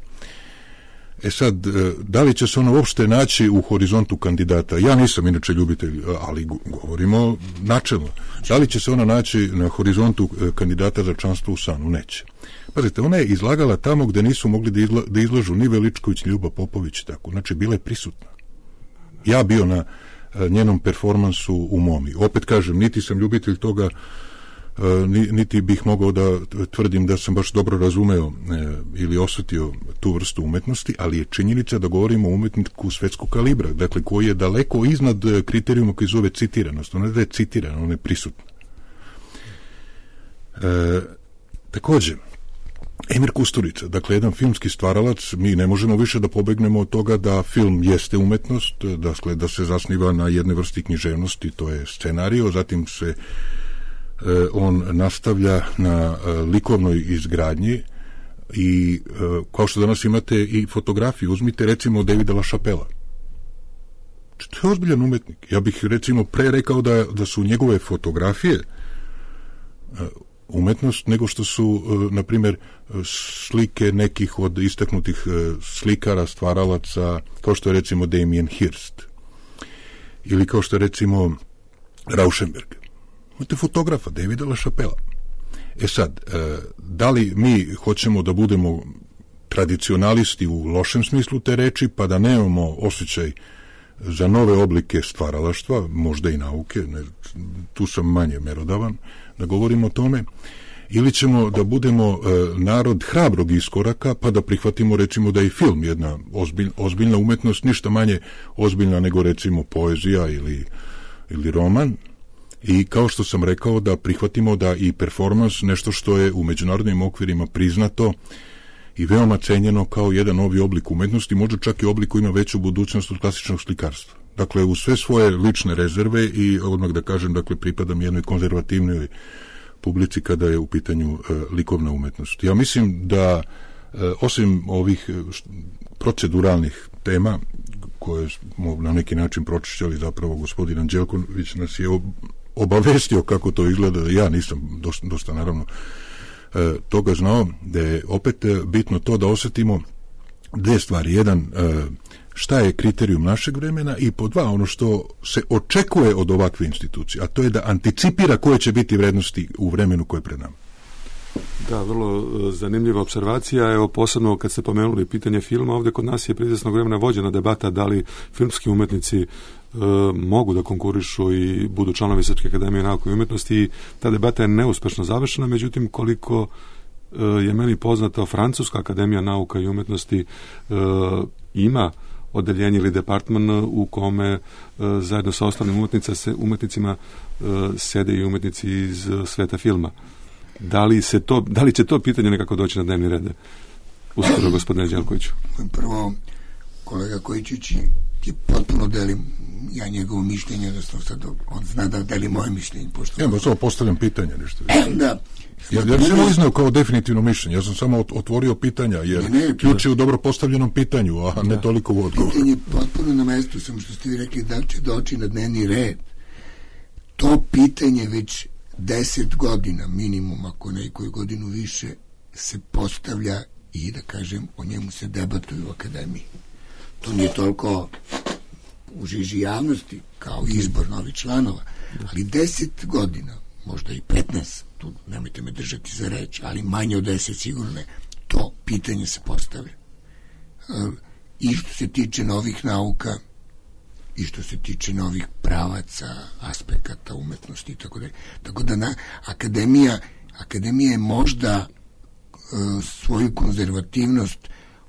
E sad, da li će se ona uopšte naći u horizontu kandidata? Ja nisam inače ljubitelj, ali govorimo načelno. Da li će se ona naći na horizontu kandidata za članstvo u SANU? Neće. Pazite, ona je izlagala tamo gde nisu mogli da, izla, da izlažu ni Veličković, ni Ljuba Popović, tako. Znači, bila je prisutna. Ja bio na njenom performansu u Momi. Opet kažem, niti sam ljubitelj toga, niti bih mogao da tvrdim da sam baš dobro razumeo ili osjetio tu vrstu umetnosti, ali je činjenica da govorimo o umetniku svetskog kalibra, dakle koji je daleko iznad kriterijuma koji zove citiranost. Ona da je citirana, ona je prisutna. E, takođe, Emir Kusturica, dakle jedan filmski stvaralac, mi ne možemo više da pobegnemo od toga da film jeste umetnost, dakle da se zasniva na jednoj vrsti književnosti, to je scenario, zatim se on nastavlja na likovnoj izgradnji i kao što danas imate i fotografiju, uzmite recimo Davida LaChapella. To je ozbiljan umetnik. Ja bih recimo pre rekao da, da su njegove fotografije umetnost nego što su, na primjer, slike nekih od istaknutih slikara, stvaralaca, kao što je recimo Damien Hirst ili kao što je recimo Rauschenberg. Imate fotografa Davida LaChapella. E sad, da li mi hoćemo da budemo tradicionalisti u lošem smislu te reči, pa da nemamo osjećaj za nove oblike stvaralaštva, možda i nauke, ne, tu sam manje merodavan, da govorimo o tome, ili ćemo da budemo e, narod hrabrog iskoraka, pa da prihvatimo recimo da je film jedna ozbilj, ozbiljna umetnost, ništa manje ozbiljna nego recimo poezija ili, ili roman, i kao što sam rekao da prihvatimo da i performans, nešto što je u međunarodnim okvirima priznato i veoma cenjeno kao jedan novi oblik umetnosti, možda čak i oblik koji ima veću budućnost od klasičnog slikarstva. Dakle, u sve svoje lične rezerve i odmah da kažem, dakle, pripadam jednoj konzervativnoj publici kada je u pitanju e, likovna umetnost. Ja mislim da e, osim ovih proceduralnih tema koje smo na neki način pročišćali, zapravo gospodin Anđelković nas je obavestio kako to izgleda, ja nisam dosta, dosta naravno e, toga znao, da je opet bitno to da osjetimo dve stvari. Jedan, e, šta je kriterijum našeg vremena, i po dva, ono što se očekuje od ovakve institucije, a to je da anticipira koje će biti vrednosti u vremenu koje je pred nama. Da, vrlo zanimljiva observacija. Evo, posebno kad ste pomenuli pitanje filma, ovdje kod nas je prije izvjesnog vremena vođena debata da li filmski umetnici e, mogu da konkurišu i budu članovi Srpske akademije nauke i umetnosti, i ta debata je neuspešno završena. Međutim, koliko e, je meni poznato, Francuska akademija nauka i umetnosti e, ima odeljenje ili departman u kome e, zajedno sa ostalim umetnica, umetnicima e, sede i umetnici iz sveta filma. Da li, se to, da li će to pitanje nekako doći na dnevni red? Uskoro, gospodine Đelkoviću. Prvo, kolega Kojičić, ti potpuno delim ja njegovo mišljenje, da sad on zna da deli moje mišljenje. Pošto... Ja, da samo postavljam pitanje nešto. E, da. Ja, ja sam ne... iznao kao definitivno mišljenje, ja sam samo otvorio pitanja, jer ne, ne, ključ je u dobro postavljenom pitanju, a ne da. toliko u odgovoru. Pitanje je potpuno na mestu, samo što ste vi rekli da će doći na dnevni red. To pitanje već deset godina minimum, ako ne i koju godinu više, se postavlja i da kažem, o njemu se debatuju u akademiji. To nije toliko u žiži javnosti kao izbor novih članova, ali deset godina, možda i petnaest, tu nemojte me držati za reč, ali manje od deset sigurno ne, to pitanje se postavlja. I što se tiče novih nauka, i što se tiče novih pravaca, aspekata umetnosti i tako da. Tako da na, akademija, akademija je možda e, svoju konzervativnost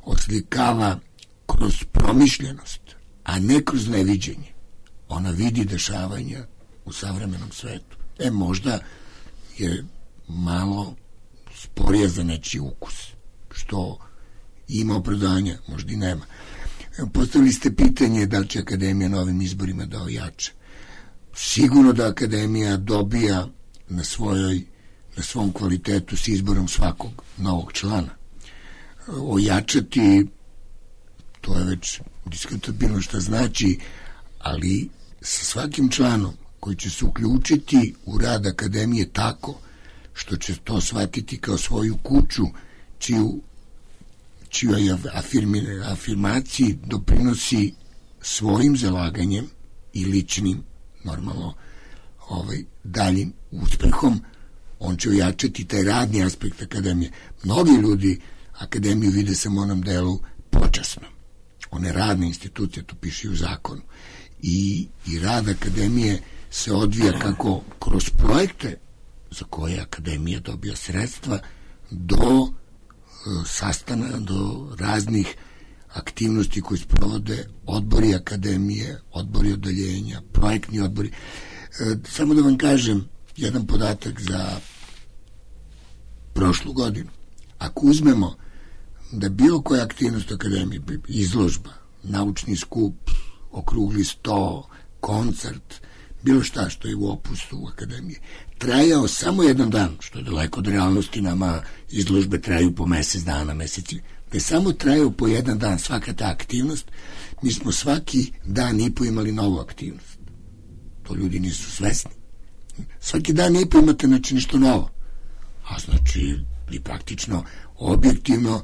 oslikava kroz promišljenost, a ne kroz neviđenje. Ona vidi dešavanja u savremenom svetu. E, možda je malo sporija za nečiji ukus, što ima opravdanja, možda i nema. Postavili ste pitanje da li će akademija na ovim izborima da ojača. Sigurno da akademija dobija na svojoj, na svom kvalitetu s izborom svakog novog člana. Ojačati, to je već diskutabilno šta znači, ali sa svakim članom koji će se uključiti u rad akademije tako što će to shvatiti kao svoju kuću, čiju čijoj afirmaciji doprinosi svojim zalaganjem i ličnim, normalno, ovaj, daljim uspehom, on će ojačati taj radni aspekt akademije. Mnogi ljudi akademiju vide samo u onom delu počasno. One radne institucije, to piše u zakonu. I, i rad akademije se odvija kako kroz projekte za koje akademija dobija sredstva do sastana, do raznih aktivnosti koje sprovode odbori akademije, odbori odeljenja, projektni odbori. E, samo da vam kažem jedan podatak za prošlu godinu. Ako uzmemo da bilo koja aktivnost akademije, izložba, naučni skup, okrugli sto, koncert, bilo šta što je u opustu akademije, trajao samo jedan dan, što je daleko od realnosti, nama izložbe traju po mesec dana, meseci, da je samo trajao po jedan dan svaka ta aktivnost, mi smo svaki dan i po imali novu aktivnost. To ljudi nisu svesni. Svaki dan i po imate znači nešto novo. A znači, vi praktično, objektivno,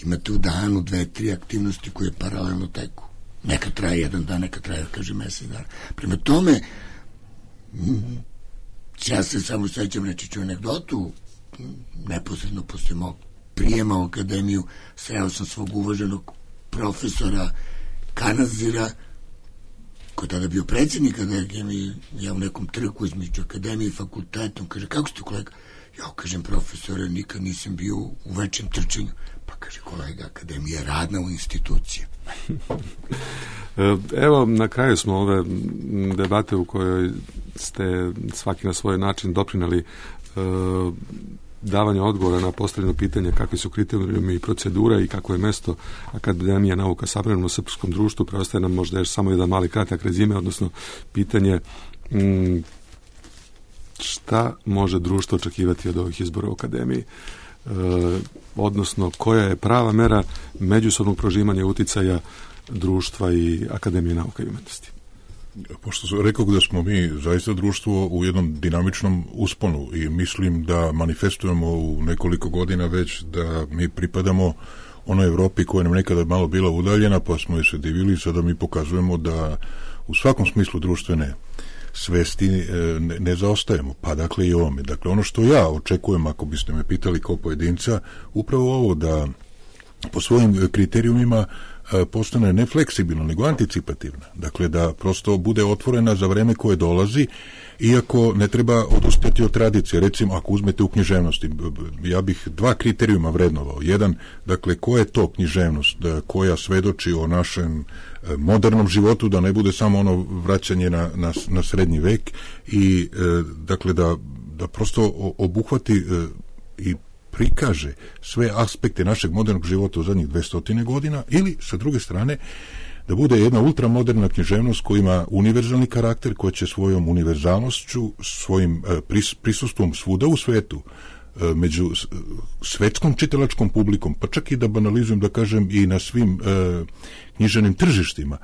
imate u danu dve, tri aktivnosti koje paralelno teku. Neka traje jedan dan, neka traje, kaže, mesec dana. Prema tome, ja se samo sećam, reći ću anegdotu, neposredno posle mog prijema u akademiju sreo sam svog uvaženog profesora Kanazira, koji tada bio predsjednik akademije, ja u nekom trku između akademije i fakultetom, kaže, kako ste kolega? Ja kažem, profesore, nikad nisam bio u većem trčenju. Pa kaže, kolega, akademija je radna u institucije. Evo, na kraju smo ove debate u kojoj ste svaki na svoj način doprinali e, davanje odgovora na postavljeno pitanje kakvi su kriterijumi i procedura i kako je mesto Akademija nauka savremenom srpskom društvu. Preostaje nam možda još samo jedan mali kratak rezime, odnosno pitanje m, šta može društvo očekivati od ovih izbora u Akademiji, e, odnosno koja je prava mera međusobnog prožimanja uticaja društva i Akademije nauka i umetnosti. Pošto rekao da smo mi zaista društvo u jednom dinamičnom usponu i mislim da manifestujemo u nekoliko godina već da mi pripadamo onoj Evropi koja nam nekada malo bila udaljena, pa smo joj se divili, sada mi pokazujemo da u svakom smislu društvene svesti ne, ne zaostajemo, pa dakle i ovome. Dakle, ono što ja očekujem, ako biste me pitali kao pojedinca, upravo ovo da po svojim kriterijumima postane ne fleksibilna, nego anticipativna. Dakle, da prosto bude otvorena za vreme koje dolazi, iako ne treba odustati od tradicije. Recimo, ako uzmete u književnosti, ja bih dva kriterijuma vrednovao. Jedan, dakle, koja je to književnost koja svedoči o našem modernom životu, da ne bude samo ono vraćanje na, na, na srednji vek i, dakle, da, da prosto obuhvati i prikaže sve aspekte našeg modernog života u zadnjih dvestotine godina, ili sa druge strane da bude jedna ultramoderna književnost koja ima univerzalni karakter, koja će svojom univerzalnošću, svojim pris, prisustvom svuda u svetu, među svetskom čitalačkom publikom, pa čak i da banalizujem, da kažem, i na svim e, književnim tržištima,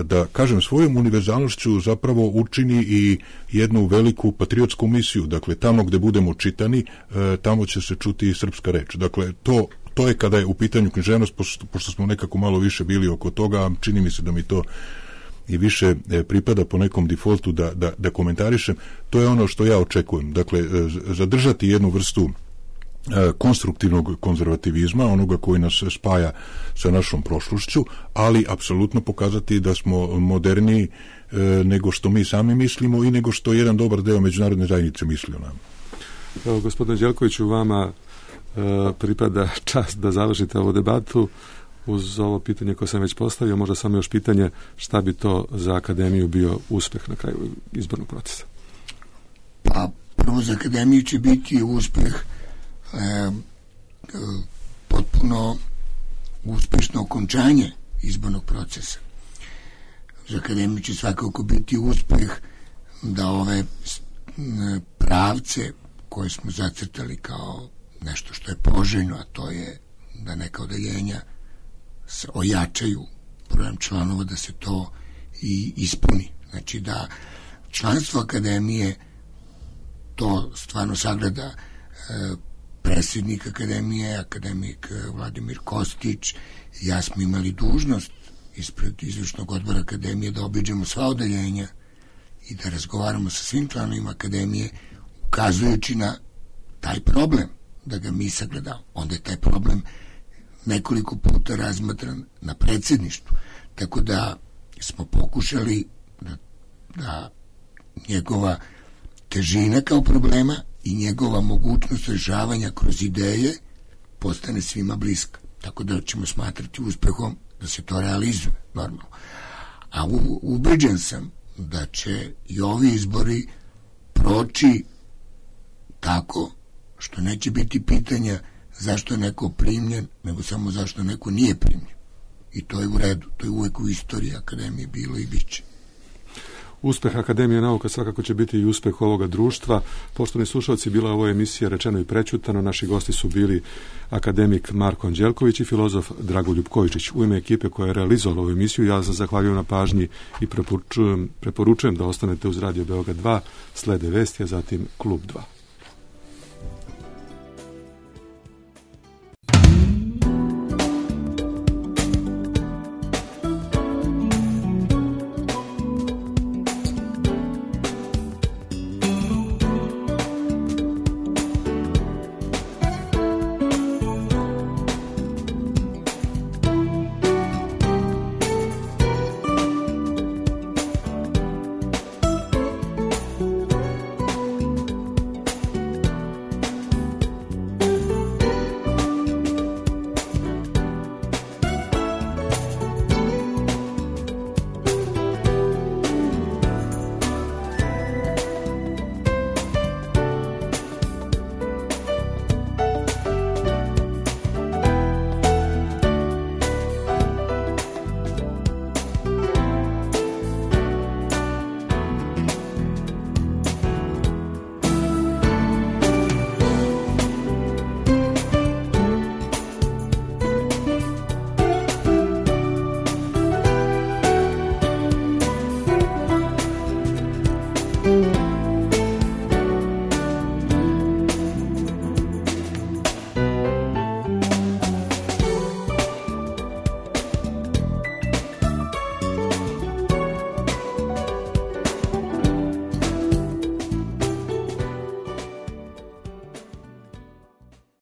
da kažem svojom univerzalnošću zapravo učini i jednu veliku patriotsku misiju. Dakle, tamo gde budemo čitani, e, tamo će se čuti srpska reč. Dakle, to to je kada je u pitanju književnost, pošto, pošto smo nekako malo više bili oko toga, čini mi se da mi to i više pripada po nekom defaultu da, da, da komentarišem, to je ono što ja očekujem. Dakle, zadržati jednu vrstu konstruktivnog konzervativizma, onoga koji nas spaja sa našom prošlošću, ali apsolutno pokazati da smo moderniji e, nego što mi sami mislimo i nego što jedan dobar deo međunarodne zajednice misli o nama. Evo, gospodine Đelkoviću, vama e, pripada čast da završite ovu debatu uz ovo pitanje koje sam već postavio, možda samo još pitanje šta bi to za akademiju bio uspeh na kraju izbornog procesa? Pa prvo za akademiju će biti uspeh E, e, potpuno uspešno okončanje izbornog procesa. Za akademiju će svakako biti uspeh da ove pravce koje smo zacrtali kao nešto što je poželjno, a to je da neka odeljenja se ojačaju brojem članova, da se to i ispuni. Znači da članstvo akademije to stvarno sagleda e, predsjednik akademije, akademik Vladimir Kostić, ja smo imali dužnost ispred izvršnog odbora akademije da obiđemo sva odeljenja i da razgovaramo sa svim članovima akademije, ukazujući na taj problem, da ga mi sagledamo. Onda je taj problem nekoliko puta razmatran na predsjedništvu. Tako da smo pokušali da, da njegova težina kao problema i njegova mogućnost rešavanja kroz ideje postane svima bliska. Tako da ćemo smatrati uspehom da se to realizuje, normalno. A u, ubeđen sam da će i ovi izbori proći tako što neće biti pitanja zašto je neko primljen, nego samo zašto neko nije primljen. I to je u redu. To je uvek u istoriji akademije bilo i bit će. Uspeh Akademije nauka svakako će biti i uspeh ovoga društva. Poštovani slušalci, bila je ovo emisija Rečeno i prećutano. Naši gosti su bili akademik Marko Anđelković i filozof Dragoljub Kojičić. U ime ekipe koja je realizovala ovu emisiju, ja vam zahvaljujem na pažnji i preporučujem, preporučujem da ostanete uz Radio Beograd dva, slede vesti, a zatim Klub dva.